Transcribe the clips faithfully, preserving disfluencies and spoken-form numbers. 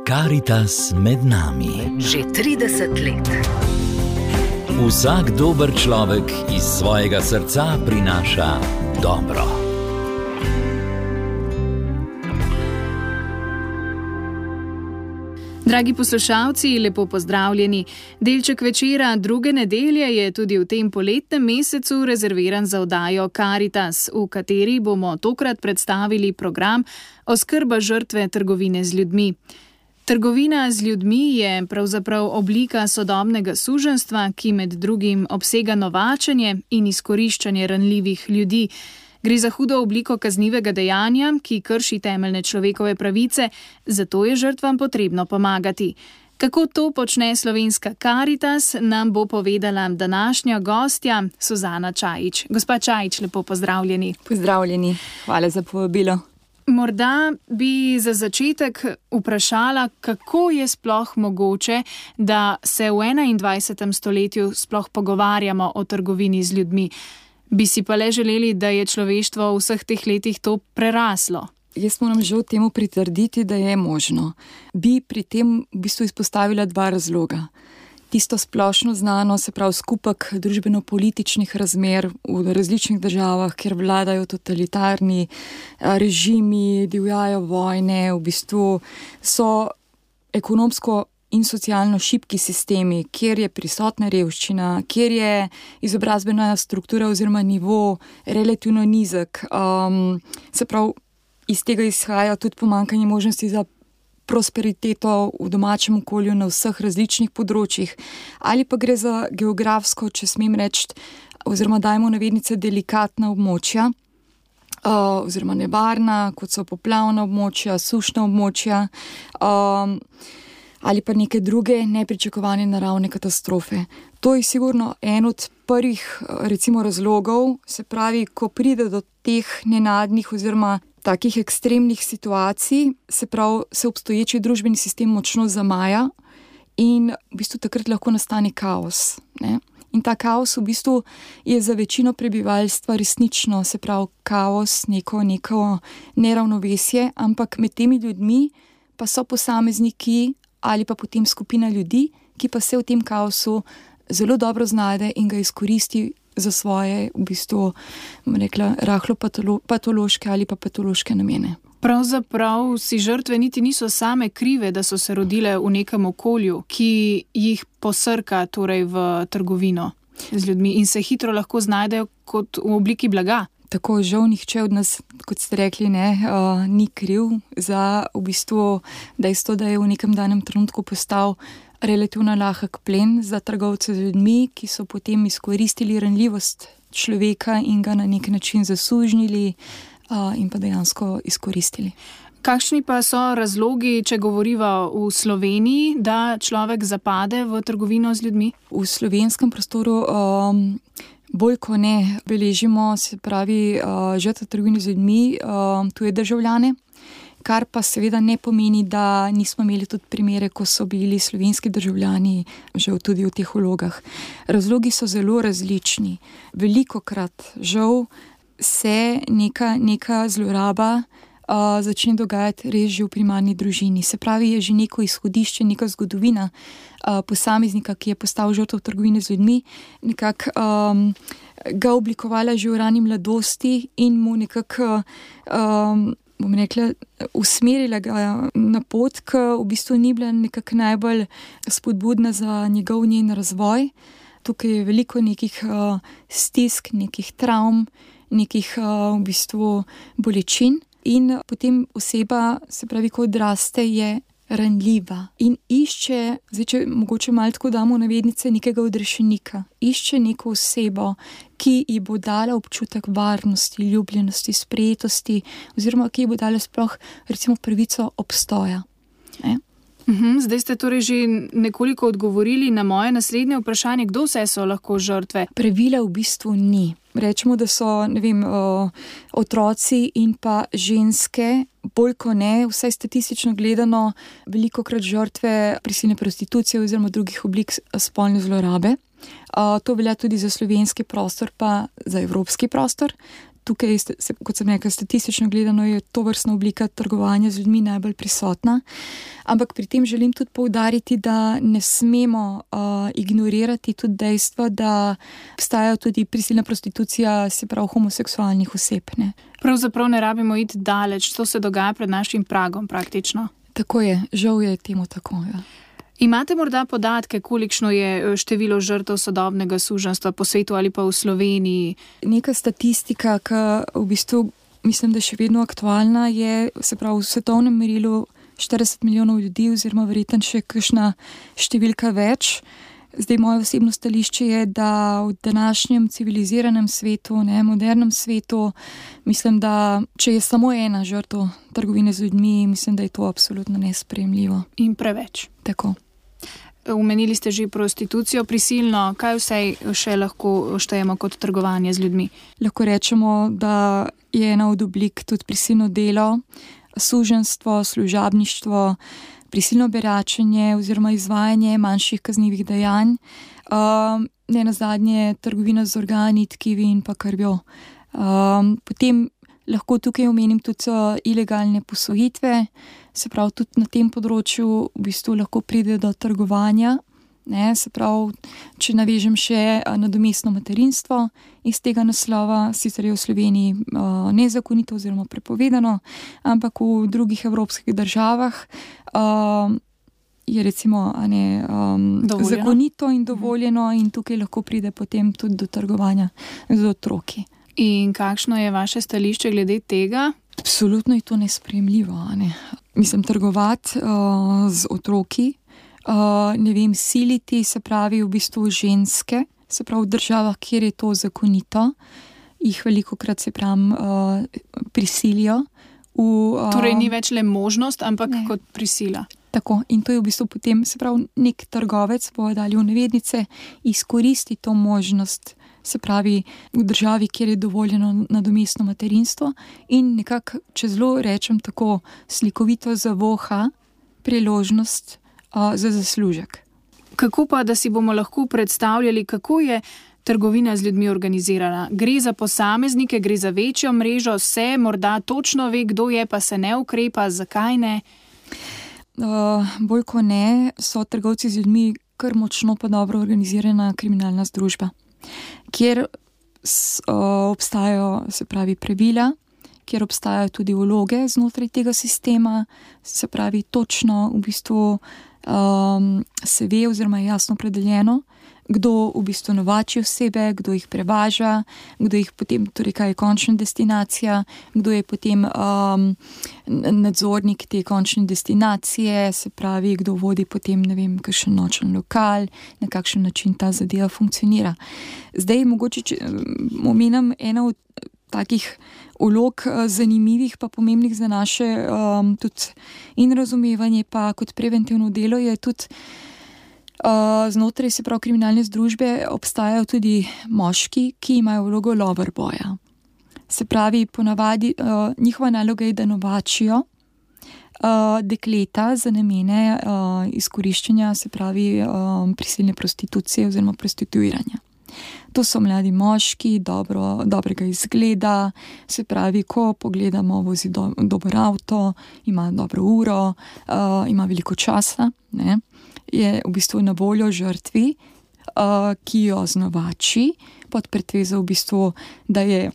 Karitas med nami. Že trideset let. Vsak dober človek iz svojega srca prinaša dobro. Dragi poslušalci, lepo pozdravljeni. Delček večera druge nedelje je tudi v tem poletnem mesecu rezerviran za oddajo Karitas, v kateri bomo tokrat predstavili program Oskrba žrtve trgovine z ljudmi. Trgovina z ljudmi je pravzaprav oblika sodobnega suženjstva, ki med drugim obsega novačenje in izkoriščanje ranljivih ljudi. Gre za hudo obliko kaznivega dejanja, ki krši temeljne človekove pravice, zato je žrtvam potrebno pomagati. Kako to počne slovenska Karitas, nam bo povedala današnja gostja Suzana Čajić. Gospa Čajić, lepo pozdravljeni. Pozdravljeni, hvala za povabilo. Morda bi za začetek vprašala, kako je sploh mogoče, da se v enaindvajsetem stoletju sploh pogovarjamo o trgovini z ljudmi. Bi si pa le želeli, da je človeštvo v vseh teh letih to preraslo. Jaz moram žal temu pritrditi, da je možno. Bi pri tem v bistvu izpostavila dva razloga. Tisto splošno znano, se pravi skupek družbeno-političnih razmer v različnih državah, kjer vladajo totalitarni režimi, divjajo vojne, v bistvu so ekonomsko in socialno šibki sistemi, kjer je prisotna revščina, kjer je izobrazbena struktura oziroma nivo relativno nizek. Um, se pravi, iz tega izhaja tudi pomanjkanje možnosti za prosperiteto v domačem okolju na vseh različnih področjih. Ali pa gre za geografsko, če smem reči, oziroma dajmo navednice, delikatna območja, uh, oziroma nevarna, kot so poplavna območja, sušna območja, um, ali pa neke druge nepričakovane naravne katastrofe. To je sigurno en od prvih, recimo, razlogov, se pravi, ko pride do teh nenadnih oziroma takih ekstremnih situacij, se pravi, se obstoječi družbeni sistem močno zamaja in v bistvu takrat lahko nastane kaos, ne? In ta kaos v bistvu je za večino prebivalstva resnično, se pravi, kaos, neko, neko neravnovesje, ampak med temi ljudmi pa so posamezniki ali pa potem skupina ljudi, ki pa se v tem kaosu zelo dobro znajde in ga izkoristi za svoje, v bistvu, bom rekla, rahlo patolo- patološke ali pa patološke namene. Pravzaprav si žrtve niti niso same krive, da so se rodile v nekem okolju, ki jih posrka torej v trgovino z ljudmi in se hitro lahko znajdejo kot v obliki blaga. Tako, žal nihče od nas, kot ste rekli, ne, uh, ni kriv za v bistvu dejstvo, da je v nekem danem trenutku postal relativno lahek plen za trgovce z ljudmi, ki so potem izkoristili ranljivost človeka in ga na nek način zasužnili uh, in pa dejansko izkoristili. Kakšni pa so razlogi, če govoriva v Sloveniji, da človek zapade v trgovino z ljudmi? V slovenskem prostoru um, bolj ko ne beležimo, se pravi, uh, žrtve trgovine z ljudmi, uh, tuje državljane, kar pa seveda ne pomeni, da nismo imeli tudi primere, ko so bili slovenski državljani žal tudi v teh vlogah. Razlogi so zelo različni. Velikokrat žal se neka, neka zloraba uh, začne dogajati res že v primarni družini. Se pravi, je že neko izhodišče, neka zgodovina uh, posameznika, ki je postal žrtev trgovine z ljudmi, nekako um, ga oblikovala že v rani mladosti in mu nekako um, bom rekla, usmerila ga na pot, ki v bistvu ni bila nekako najbolj spodbudna za njegov njen razvoj. Tukaj je veliko nekih uh, stisk, nekih travm, nekih uh, v bistvu bolečin in potem oseba, se pravi, ko odraste, je ranljiva in išče, zdaj če mogoče malo tako damo navednice, nekega odrešenika, išče neko osebo, ki ji bo dala občutek varnosti, ljubljenosti, sprejetosti oziroma ki ji bo dala sploh recimo pravico obstoja. Ne? Uhum, zdaj ste torej že nekoliko odgovorili na moje naslednje vprašanje, kdo vse so lahko žrtve? Pravila v bistvu ni. Rečemo, da so, ne vem, o, otroci in pa ženske, bolj ko ne, vsaj statistično gledano, velikokrat žrtve prisilne prostitucije oziroma drugih oblik spolne zlorabe. O, to velja tudi za slovenski prostor pa za evropski prostor. tukaj, kot sem rekla, statistično gledano je to vrstna oblika trgovanja z ljudmi najbolj prisotna. Ampak pri tem želim tudi poudariti, da ne smemo uh, ignorirati tudi dejstva, da obstaja tudi prisilna prostitucija, se pravi homoseksualnih oseb. Ne. Pravzaprav ne rabimo iti daleč, to se dogaja pred našim pragom praktično. Tako je, žal je temu tako, ja. Imate morda podatke, kolikšno je število žrtev sodobnega suženjstva po svetu ali pa v Sloveniji? Neka statistika, ki v bistvu mislim, da je še vedno aktualna, je, se pravi, v svetovnem merilu štirideset milijonov ljudi oziroma verjetno še kakšna številka več. Zdaj, moje osebno stališče je, da v današnjem civiliziranem svetu, ne, modernem svetu, mislim, da če je samo ena žrtev trgovine z ljudmi, mislim, da je to absolutno nesprejemljivo. In preveč. Tako. Omenili ste že prostitucijo prisilno, kaj vse še lahko štejemo kot trgovanje z ljudmi? Lahko rečemo, da je ena od oblik tudi prisilno delo, suženjstvo, služabništvo, prisilno beračenje oziroma izvajanje manjših kaznivih dejanj, um, ne nazadnje trgovina z organi, tkivi in pa krvjo. Um, potem lahko tukaj omenim tudi ilegalne posvojitve, se pravi tudi na tem področju v bistvu lahko pride do trgovanja, ne, se pravi, če navežem še nadomestno materinstvo iz tega naslova, sicer je v Sloveniji uh, nezakonito oziroma prepovedano, ampak v drugih evropskih državah uh, je recimo a ne, um, zakonito in dovoljeno in tukaj lahko pride potem tudi do trgovanja z otroki. In kakšno je vaše stališče glede tega? Absolutno je to nesprejemljivo. Ne? Mislim, trgovati uh, z otroki, uh, ne vem, siliti, se pravi v bistvu ženske, se pravi v državah, kjer je to zakonito, jih velikokrat se pravi uh, prisilijo. V, uh, torej ni več le možnost, ampak ne. Kot prisila. Tako, in to je v bistvu potem, se pravi, nek trgovec, bojo dali v navednice, izkoristi to možnost, se pravi v državi, kjer je dovoljeno nadomestno materinstvo in nekako, če zelo rečem tako slikovito, zavoha priložnost uh, za zaslužek. Kako pa, da si bomo lahko predstavljali, kako je trgovina z ljudmi organizirana? Gre za posameznike, gre za večjo mrežo, se morda točno ve, kdo je, pa se ne ukrepa, zakaj ne? Uh, bolj ko ne, so trgovci z ljudmi kar močno pa dobro organizirana kriminalna združba, kjer s, uh, obstajajo, se pravi, pravila, kjer obstajajo tudi vloge znotraj tega sistema, se pravi, točno v bistvu um, se ve oziroma je jasno opredeljeno, kdo v bistvu novači osebe, kdo jih prevaža, kdo jih potem, torej kaj je končna destinacija, kdo je potem um, nadzornik te končne destinacije, se pravi, kdo vodi potem, ne vem, kakšen nočen lokal, na kakšen način ta zadeva funkcionira. Zdaj, mogoče, če omenim eno od takih vlog zanimivih pa pomembnih za naše um, tudi in razumevanje pa kot preventivno delo je tudi Uh, znotraj, se pravi, kriminalne združbe obstajajo tudi moški, ki imajo vlogo loverboya. Se pravi, ponavadi uh, njihova naloga je, da novačijo uh, dekleta za namene uh, izkoriščanja, se pravi, uh, prisilne prostitucije oziroma prostituiranja. To so mladi moški, dobro, dobrega izgleda, se pravi, ko pogledamo, vozi do, dober avto, ima dobro uro, uh, ima veliko časa, ne? Je v bistvu na voljo žrtvi, uh, ki jo znovači, pod pretvezo v bistvu, da je,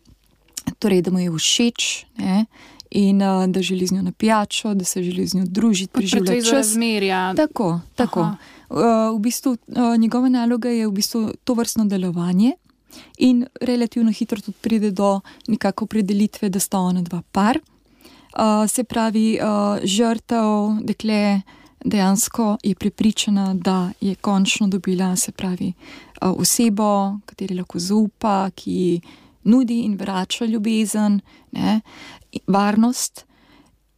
torej, da mu je všeč, ne? In uh, da želi z njo na pijačo, da se želi z njo družiti, preživljati čas. Pod pretvezo razmerja. Tako, tako. Uh, v bistvu uh, njegova naloga je v bistvu to vrstno delovanje in relativno hitro tudi pride do nekako opredelitve, da sta ona dva par. Uh, se pravi, uh, žrtev, dekle, dejansko je prepričana, da je končno dobila, se pravi, osebo, kateri lahko zaupa, ki nudi in vrača ljubezen, ne, varnost.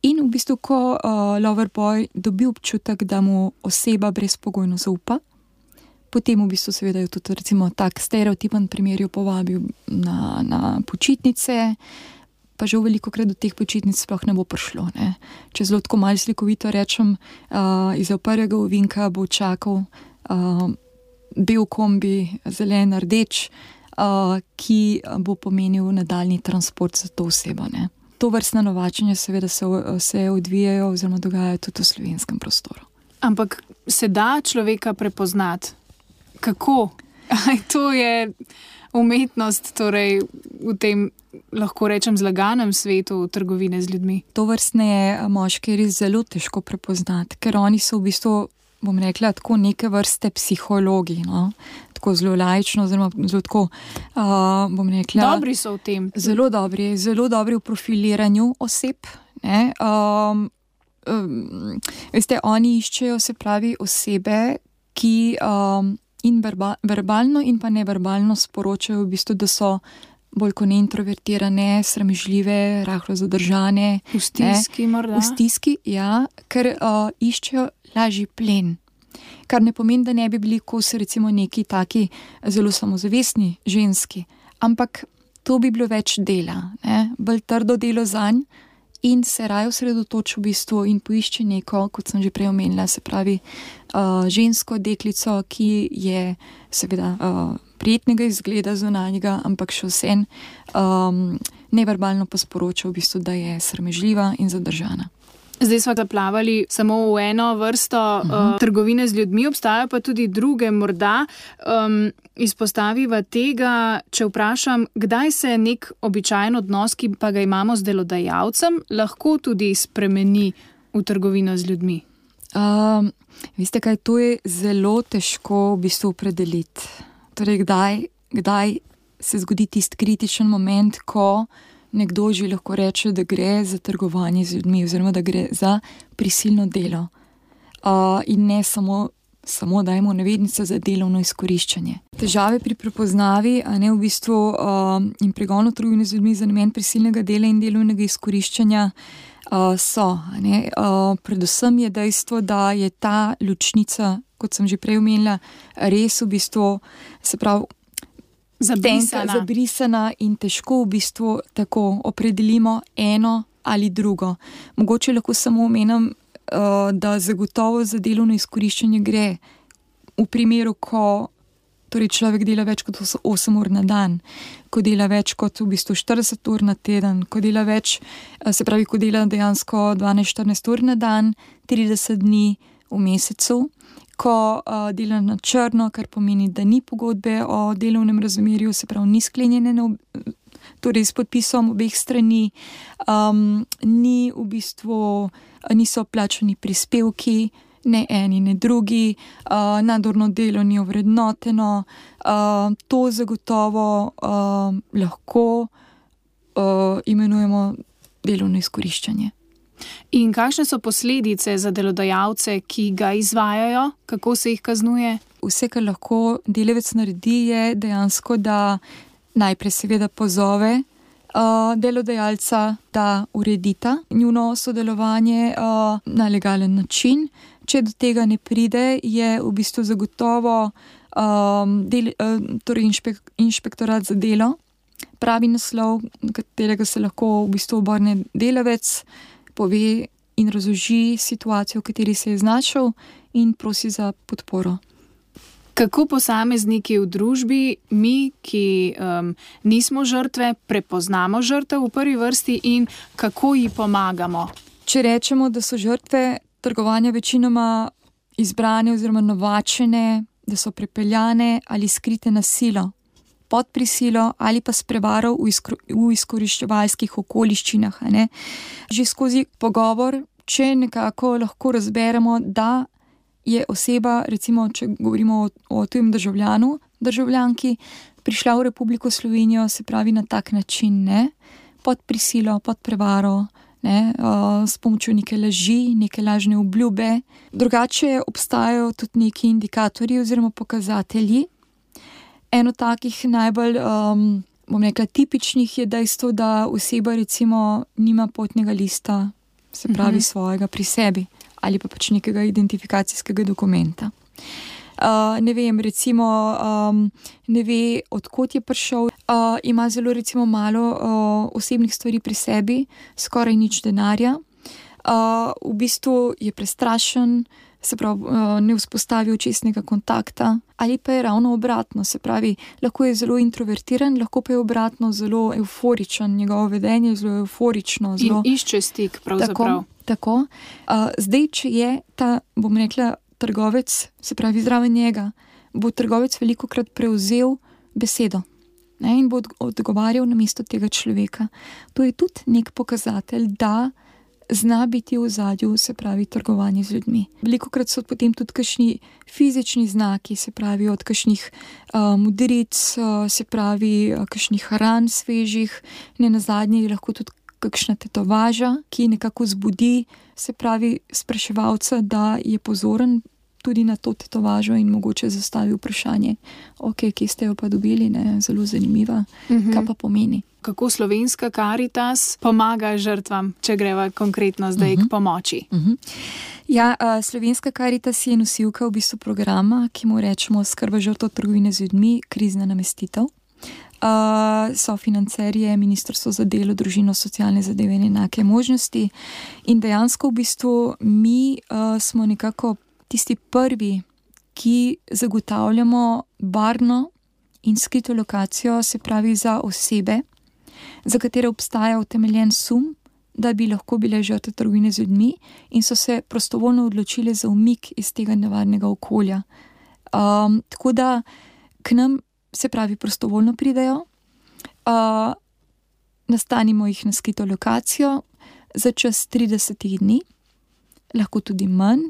In v bistvu, ko uh, loverboy dobi občutek, da mu oseba brezpogojno zaupa, potem v bistvu seveda je tudi recimo tak stereotipen primer jo povabil na, na počitnice, pa že velikokrat do teh počitnic sploh ne bo prišlo. Ne. Če zelo tako malo slikovito rečem, uh, iz prvega ovinka bo čakal uh, bel kombi, zelen, rdeč, uh, ki bo pomenil nadaljni transport za to osebo. Ne. To vrstne novačenje seveda se, se odvijajo oziroma dogajajo tudi v slovenskem prostoru. Ampak se da človeka prepoznati? Kako? Aj, to je umetnost, torej v tem, lahko rečem, zlaganem svetu trgovine z ljudmi. To vrstne moške je res zelo težko prepoznati, ker oni so v bistvu, bom rekla, tako neke vrste psihologi, no? Tako zelo laično, zelo, zelo tako, uh, bom rekla... Dobri so v tem. Zelo dobri, zelo dobri v profiliranju oseb, ne? Um, um, veste, oni iščejo, se pravi, osebe, ki um, in verba, verbalno in pa neverbalno sporočajo v bistvu, da so bolj kot ne introvertirane, sramežljive, rahlo zadržane. V stiski morda? V stiski, ja, ker uh, iščejo lažji plen. Kar ne pomeni, da ne bi bili kos recimo neki taki zelo samozavestni ženski, ampak to bi bilo več dela, ne? Bolj trdo delo zanj in se raje osredotoči v bistvu in poišče neko, kot sem že prej omenila, se pravi uh, žensko deklico, ki je seveda uh, prijetnega izgleda zunanjega, ampak še vsem um, neverbalno pa sporoča v bistvu, da je sramežljiva in zadržana. Zdaj smo zaplavali samo v eno vrsto uh-huh. uh, trgovine z ljudmi, obstajajo pa tudi druge. Morda um, izpostaviva tega, če vprašam, kdaj se nek običajen odnos, ki pa ga imamo z delodajalcem, lahko tudi spremeni v trgovino z ljudmi? Um, veste kaj, to je zelo težko v bistvu opredeliti. Torej, kdaj, kdaj se zgodi tisti kritičen moment, ko nekdo že lahko reče, da gre za trgovanje z ljudmi oziroma da gre za prisilno delo. Uh, in ne samo, samo dajmo navednice za delovno izkoriščanje. Težave pri prepoznavi, a ne v bistvu uh, in pregonu trgovine z ljudmi za namen prisilnega dela in delovnega izkoriščanja uh, so. A ne? Uh, predvsem je dejstvo, da je ta ločnica, kot sem že prej omenila, res v bistvu, se pravi, Zabrisana. Tenka, zabrisana in težko v bistvu tako opredelimo eno ali drugo. Mogoče lahko samo omenim, uh, da zagotovo za delovno izkoriščanje gre v primeru, ko torej človek dela več kot osem ur na dan, ko dela več kot v bistvu štirideset ur na teden, ko dela več, se pravi, ko dela dejansko dvanajst štirinajst ur na dan, trideset dni v mesecu, ko uh, dela na črno, kar pomeni, da ni pogodbe o delovnem razmerju, se pravi, ni sklenjene na, torej s podpisom obeh strani, um, ni v bistvu, niso plačani prispevki, ne eni, ne drugi, uh, nadurno delo ni ovrednoteno, uh, to zagotovo uh, lahko uh, imenujemo delovno izkoriščanje. In kakšne so posledice za delodajalce, ki ga izvajajo? Kako se jih kaznuje? Vse, kar lahko delavec naredi, je dejansko, da najprej seveda pozove uh, delodajalca, da uredita njuno sodelovanje uh, na legalen način. Če do tega ne pride, je v bistvu zagotovo um, del, uh, torej inšpek, inšpektorat za delo, pravi naslov, na katerega se lahko v bistvu obrne delavec, pove in razloži situacijo, v kateri se je znašel in prosi za podporo. Kako posamezniki v družbi, mi, ki um, nismo žrtve, prepoznamo žrtev v prvi vrsti in kako ji pomagamo? Če rečemo, da so žrtve trgovanja večinoma izbrane oziroma novačene, da so prepeljane ali skrite na silo, pod prisilo ali pa s prevaro v, izkor, v izkoriščevalskih okoliščinah. Ne? Že skozi pogovor, če nekako lahko razberemo, da je oseba, recimo, če govorimo o, o tujem državljanu, državljanki, prišla v Republiko Slovenijo, se pravi na tak način, ne? Pod prisilo, pod prevaro, ne? Uh, s pomočjo neke laži, neke lažne obljube. Drugače obstajajo tudi neki indikatorji oziroma pokazatelji. Eno takih najbolj, um, bom rekla, tipičnih je dejstvo, da oseba recimo nima potnega lista, se pravi uh-huh. svojega pri sebi ali pa pač nekega identifikacijskega dokumenta. Uh, ne vem, recimo um, ne ve, odkot je prišel, uh, ima zelo recimo malo uh, osebnih stvari pri sebi, skoraj nič denarja. uh, v bistvu je prestrašen, se pravi, uh, ne vzpostavi očesnega kontakta, ali pa je ravno obratno, se pravi, lahko je zelo introvertiran, lahko pa je obratno zelo euforičen, njegovo vedenje je zelo euforično. Zelo... In išče stik, pravzaprav. Tako, tako. Uh, zdaj, če je ta, bom rekla, trgovec, se pravi, zraven njega, bo trgovec velikokrat prevzel besedo, ne, in bo odgovarjal na mesto tega človeka. To je tudi nek pokazatelj, da zna biti v ozadju, se pravi, trgovanje z ljudmi. Velikokrat so potem tudi kakšni fizični znaki, se pravi, od kakšnih uh, modric, uh, se pravi, uh, kakšnih ran svežih, ne nazadnje je lahko tudi kakšna tetovaža, ki nekako zbudi, se pravi, spraševalca, da je pozoren tudi na to tetovažo in mogoče zastavi vprašanje, ok, kje ste jo pa dobili, ne, zelo zanimiva, uh-huh. Kaj pa pomeni. Kako Slovenska Karitas pomaga žrtvam, če greva konkretno zdaj uh-huh. k pomoči? Uh-huh. Ja, uh, Slovenska Karitas je nosilka v bistvu programa, ki mu rečemo skrba žrtev trgovine z ljudmi, krizna namestitev. Uh, sofinancer je Ministrstvo za delo, družino, socialne zadeve in enake možnosti in dejansko v bistvu mi uh, smo nekako tisti prvi, ki zagotavljamo varno in skrito lokacijo, se pravi za osebe, za katere obstaja utemeljen sum, da bi lahko bile žrtve trgovine z ljudmi in so se prostovoljno odločile za umik iz tega nevarnega okolja. Um, tako da k nam, se pravi, prostovoljno pridejo, uh, nastanimo jih na skrito lokacijo za čas trideset dni, lahko tudi manj.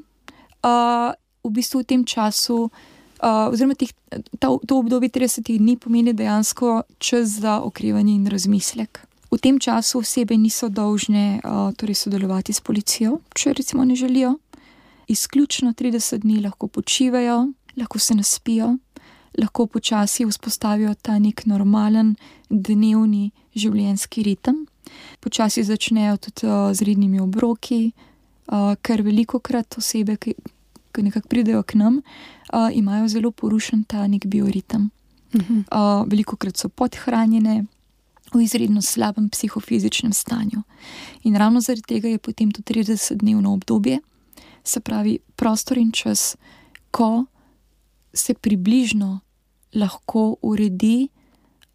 Uh, v bistvu v tem času, uh, oziroma tih, ta, to obdobje tridesetih dni pomeni dejansko čas za okrevanje in razmislek. V tem času osebe niso dolžne uh, torej sodelovati s policijo, če recimo ne želijo. Izključno trideset dni lahko počivajo, lahko se naspijo, lahko počasi vzpostavijo ta nek normalen dnevni življenjski ritem. Počasi začnejo tudi uh, z rednimi obroki, Uh, ker velikokrat osebe, ki, ki nekako pridejo k nam, uh, imajo zelo porušen ta nek bioritem. Uh-huh. Uh, velikokrat so podhranjene, v izredno slabem psihofizičnem stanju. In ravno zaradi tega je potem to tridesetdnevno obdobje, se pravi prostor in čas, ko se približno lahko uredi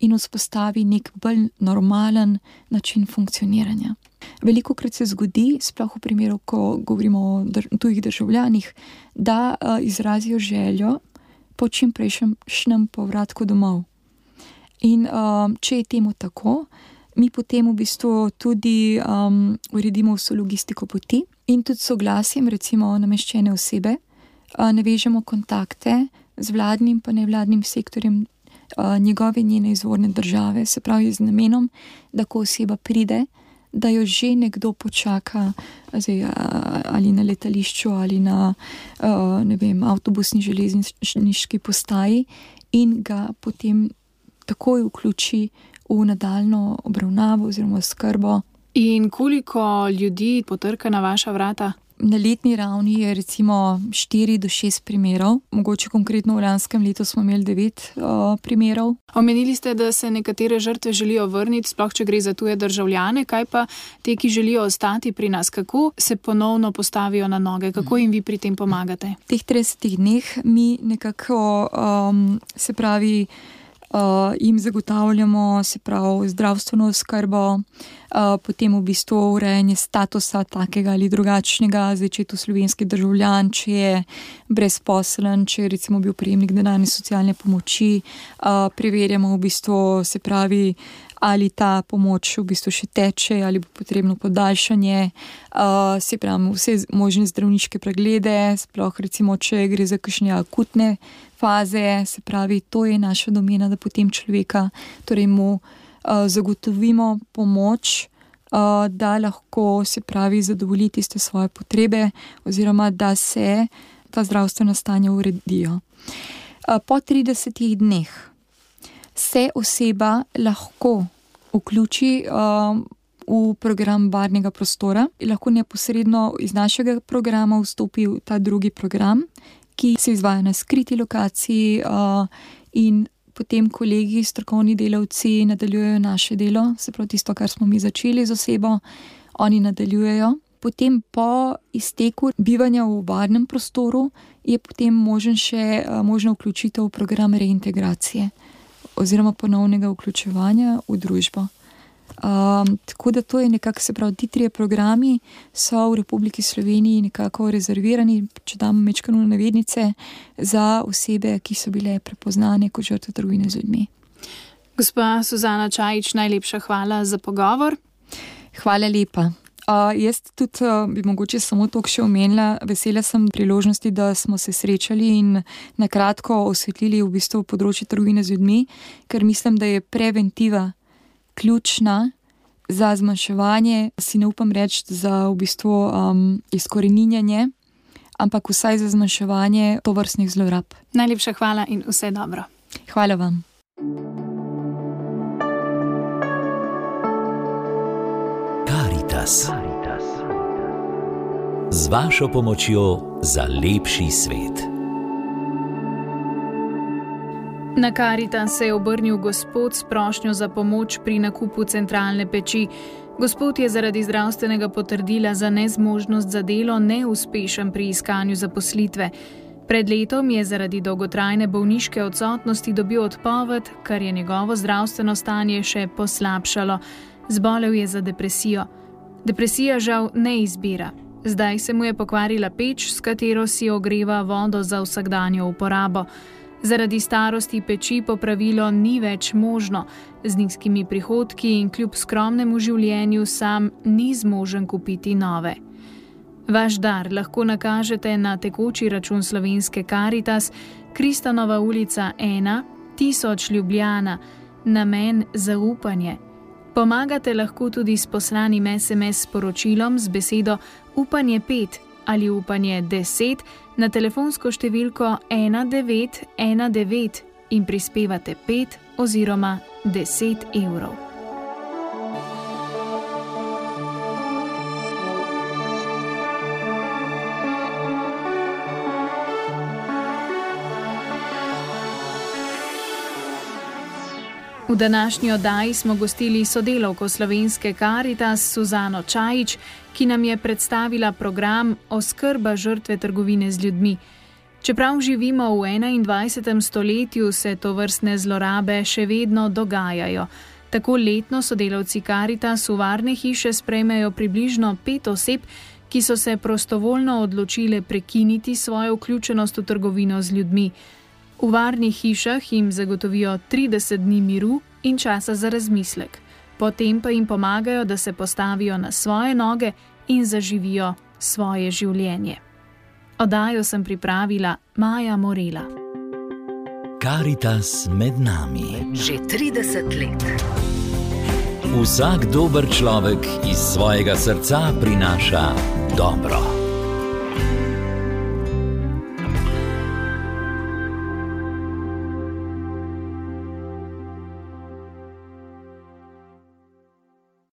in vzpostavi nek bolj normalen način funkcioniranja. Velikokrat se zgodi, sploh v primeru, ko govorimo o dr- tujih državljanih, da uh, izrazijo željo po čim prejšnjem povratku domov. In uh, če je temu tako, mi potem v bistvu tudi um, uredimo vso logistiko poti in tudi soglasjem, recimo nameščene osebe, uh, navežemo kontakte z vladnim pa nevladnim sektorjem uh, njegove njene izvorne države, se pravi z namenom, da ko oseba pride, da jo že nekdo počaka zdaj, ali na letališču ali na uh, ne vem, avtobusni železniški postaji in ga potem takoj vključi v nadaljno obravnavo oziroma skrbo. In koliko ljudi potrka na vaša vrata? Na letni ravni je recimo štiri do šest primerov, mogoče konkretno v lanskem letu smo imeli devet uh, primerov. Omenili ste, da se nekatere žrtve želijo vrniti, sploh če gre za tuje državljane, kaj pa te, ki želijo ostati pri nas, kako se ponovno postavijo na noge, kako jim vi pri tem pomagate? V teh tridesetih dneh mi nekako, um, se pravi, Uh, jim zagotavljamo, se pravi, zdravstveno oskrbo, uh, potem v bistvu urejanje statusa takega ali drugačnega, zdaj če je to slovenski državljan, če je brezposeln, če je recimo bil prejemnik denarne socialne pomoči, uh, preverjamo v bistvu, se pravi, ali ta pomoč v bistvu še teče, ali bo potrebno podaljšanje, uh, se pravi, vse možne zdravniške preglede, sploh recimo, če gre za kakšne akutne faze, se pravi, to je naša domena, da potem človeka, torej mu uh, zagotovimo pomoč, uh, da lahko, se pravi, zadovolji tiste svoje potrebe oziroma da se ta zdravstvena stanja uredijo. Uh, po tridesetih dneh se oseba lahko vključi uh, v program varnega prostora in lahko neposredno iz našega programa vstopi v ta drugi program, ki se izvaja na skriti lokaciji uh, in potem kolegi, strokovni delavci nadaljujejo naše delo, se pravi tisto, kar smo mi začeli z osebo, oni nadaljujejo Potem po izteku bivanja v varnem prostoru je potem možen še možna vključitev v program reintegracije oziroma ponovnega vključevanja v družbo. Um, tako da to je nekako, se pravi, ti trije programi so v Republiki Sloveniji nekako rezervirani, če dam mečkano navednice, za osebe, ki so bile prepoznane kot žrtve trgovine z ljudmi. Gospa Suzana Čajić, najlepša hvala za pogovor. Hvala lepa. Uh, jaz tudi uh, bi mogoče samo toliko še omenila, vesela sem priložnosti, da smo se srečali in nakratko osvetlili v bistvu področje trgovine z ljudmi, ker mislim, da je preventiva ključna za zmanjševanje, si ne upam reči za v bistvu um, izkoreninjanje, ampak vsaj za zmanjševanje tovrstnih zlorab. Najlepša hvala in vse dobro. Hvala vam. Karitas. Z vašo pomočjo za lepši svet. Na Karitas se je obrnil gospod s prošnjo za pomoč pri nakupu centralne peči. Gospod je zaradi zdravstvenega potrdila za nezmožnost za delo neuspešen pri iskanju zaposlitve. Pred letom je zaradi dolgotrajne bolniške odsotnosti dobil odpoved, kar je njegovo zdravstveno stanje še poslabšalo. Zbolel je za depresijo. Depresija žal ne izbira. Zdaj se mu je pokvarila peč, s katero si ogreva vodo za vsakdanjo uporabo. Zaradi starosti peči popravilo ni več možno. Z nizkimi prihodki in kljub skromnemu življenju sam ni zmožen kupiti nove. Vaš dar lahko nakažete na tekoči račun slovenske Karitas, Kristanova ulica ena, tisoč Ljubljana, namen zaupanje. Pomagate lahko tudi s poslanim es em es sporočilom z besedo upanje pet ali upanje deset na telefonsko številko ena devet ena devet in prispevate pet oziroma deset evrov. V današnji oddaji smo gostili sodelavko slovenske Karitas Suzano Čajić, ki nam je predstavila program Oskrba žrtve trgovine z ljudmi. Čeprav živimo v enaindvajsetem stoletju, se tovrstne zlorabe še vedno dogajajo. Tako letno sodelavci Karitas v varne hiše sprejmejo približno pet oseb, ki so se prostovoljno odločile prekiniti svojo vključenost v trgovino z ljudmi. V varnih hišah jim zagotovijo trideset dni miru in časa za razmislek. Potem pa jim pomagajo, da se postavijo na svoje noge in zaživijo svoje življenje. Oddajo sem pripravila Maja Morela. Karitas med nami. Že trideset let. Vsak dober človek iz svojega srca prinaša dobro.